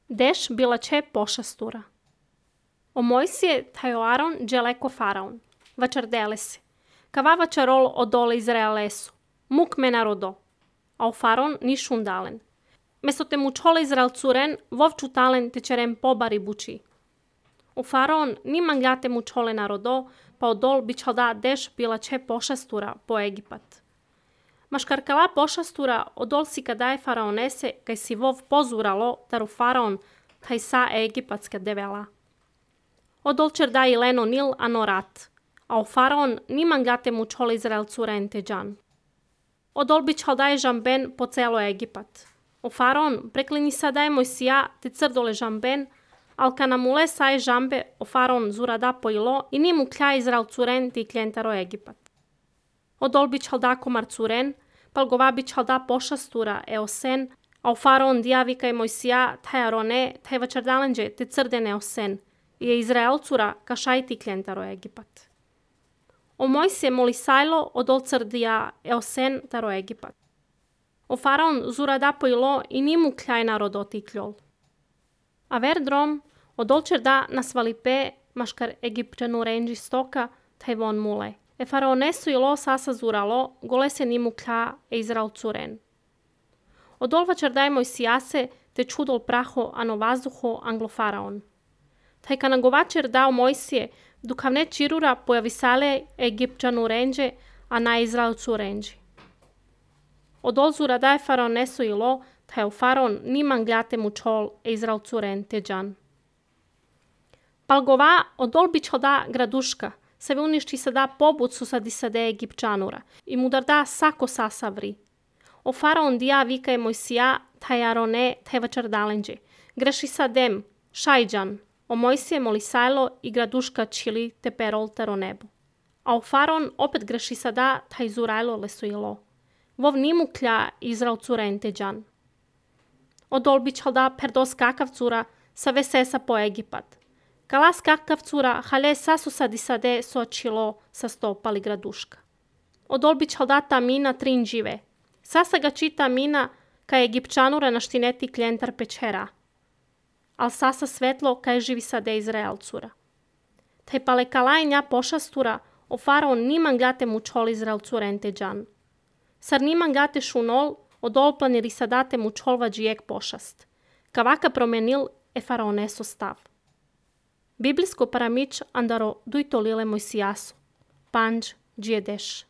Deš bila će pošastura. O Mojsije tajo Aron dželeko faraon. Vačardele se. Kava vačarol odole Izraelesu. Muk me narodo. A o faraon nišun dalen. Mesto te mučole Izrael curen, vovču talen te čerem pobari buči. O faraon niman gate mučole narodo, pa odol bićal da deš bila će pošastura po Egipat. Maškarkala pošastura odol si kadaje faraonese, kaj si vov pozuralo, taru faraon, taj sa egipatska devela. Odol čer da i leno nil anorat, a o faraon niman gate mučole Izrael curen te džan. Odol bićal daje žamben po celo Egipat. O faraon preklini sadaj Mojsija te crdole žamben, al kanamule saje žambe o faraon zurada pojilo i nimu klja Izrael curen ti kljentaro Egipat. Odol bićal da komar curen, pal gova bićal da pošastura eosen, a o faraon dijavika i Mojsija taj arone, taj vačardalenđe te crdene osen, i je Izrael cura kašaj ti kljentaro Egipat. O Mojsije molisajlo odol crdija eosen taro Egipat. O faraon zurada pojilo i nimu kljaj narodo ti kljol. A verdrom, odolčer da nasvalipe maškar Egipćanu renđi stoka, taj von mule. E faraonesu ilo sasa zuralo, gole se nimu klja Izrael curen. Odolvačar daj Mojsijase, te čudol praho ano vazduho anglo faraon. Taj kanagovačer dao Mojsije, dukavne čirura pojavisale Egipćanu renđe, a na Izrael curenđi. Odol zura daj faraonesu ilo, taj u faraon niman gljate mu čol Izrael curen te džan. Palgova odol bićal da graduška, se vi uništi se da pobucu sa disade Egipćanura i mu da sako sasavri. O faraon dija vika je Mojsija, taj arone, taj vačardalenđe. Greši sadem, šajđan, o Mojsije molisajlo i graduška čili te perol tero nebo. A o faraon opet greši sada, taj zurajlo lesuilo. Vov nimu klja Izrael curen te džan. Odol bićal da perdos kakav cura sa vesesa po Egipat. Kalas kakav cura hale sasu sadisade sočilo sa stopali graduška. Odol bićal da ta mina trin žive. Sasa ga čita mina ka Egipćanura naštineti kljentar pečera. Al sasa svetlo kaj živi sade Izrael cura. Taj pale kalajnja pošastura o faraon niman gate mu čol Izrael curen te džan. Sar niman gate šunol odol planiri sadate mu čolva džijek pošast. Kavaka promenil e faraoneso stav. Biblijsko paramič andaro dujto lile Mojsijasu. Panđ džije deš.